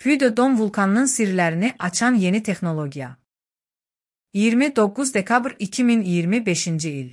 Puy de Dôme vulkanının sirlərini açan yeni texnologiya. 29 dekabr 2025-ci il.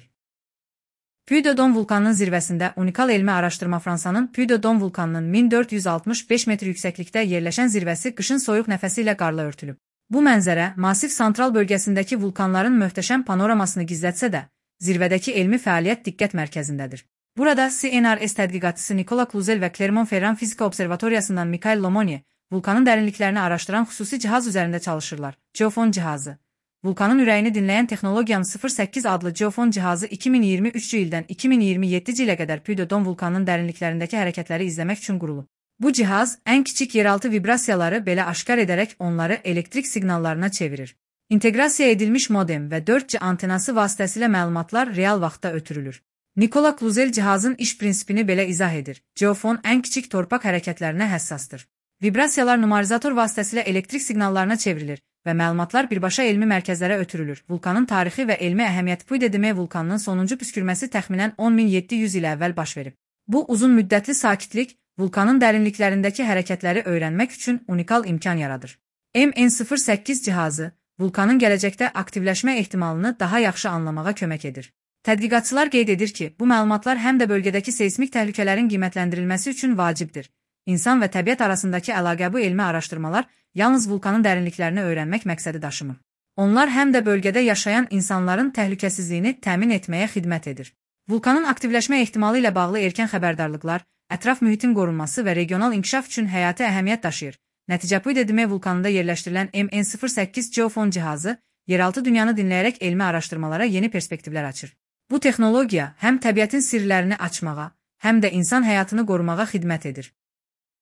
Puy de Dôme vulkanının zirvəsində unikal elmi araşdırma Fransanın Puy de Dôme vulkanının 1465 metr yüksəklikdə yerləşən zirvəsi qışın soyuq nəfəsi ilə qarla örtülüb. Bu mənzərə Masif Santral bölgəsindəki vulkanların möhtəşəm panoramasını gizlətsə də, zirvədəki elmi fəaliyyət diqqət mərkəzindədir. Burada CNRS tədqiqatçısı Nicolas Cluzel və Clermont-Ferrand Fizika Observatoriyasından Michael Lemonnier vulkanın dərinliklərini araşdıran xüsusi cihaz üzərində çalışırlar. Geofon cihazı. Vulkanın ürəyini dinləyən texnologiyanın 08 adlı Geofon cihazı 2023-cü ildən 2027-ci ilə qədər Puy de Dôme vulkanının dərinliklərindəki hərəkətləri izləmək üçün qurulub. Bu cihaz ən kiçik yeraltı vibrasiyaları belə aşkar edərək onları elektrik siqnallarına çevirir. İnteqrasiya edilmiş modem və 4G antenası vasitəsilə məlumatlar real vaxtda ötürülür. Nicolas Cluzel cihazın iş prinsipini belə izah edir. Geofon ən kiçik torpaq hərəkətlərinə həssasdır. Vibrasiyalar numarizator vasitəsilə elektrik siqnallarına çevrilir və məlumatlar birbaşa elmi mərkəzlərə ötürülür. Vulkanın tarixi və elmi əhəmiyyəti Puy de Dôme vulkanının sonuncu püskürməsi təxminən 10.700 il əvvəl baş verib. Bu uzun müddətli sakitlik vulkanın dərinliklərindəki hərəkətləri öyrənmək üçün unikal imkan yaradır. MN08 cihazı vulkanın gələcəkdə aktivləşmə ehtimalını daha yaxşı anlamağa kömək edir. Tədqiqatçılar qeyd edir ki, bu məlumatlar həm də bölgədəki seysmik təhlükələrin qiymətləndirilməsi üçün vacibdir. İnsan və təbiət arasındakı əlaqə bu elmi araşdırmalar yalnız vulkanın dərinliklərini öyrənmək məqsədi daşımır. Onlar həm də bölgədə yaşayan insanların təhlükəsizliyini təmin etməyə xidmət edir. Vulkanın aktivləşmə ehtimalı ilə bağlı erkən xəbərdarlıqlar, ətraf mühitin qorunması və regional inkişaf üçün həyati əhəmiyyət daşıyır. Nəticə Puy de Dôme vulkanında yerləşdirilən MN08 Geofon cihazı yeraltı dünyanı dinləyərək elmi araşdırmalara yeni perspektivlər açır. Bu texnologiya həm təbiətin sirlərini açmağa, həm də insan həyatını qorumağa xidmət edir.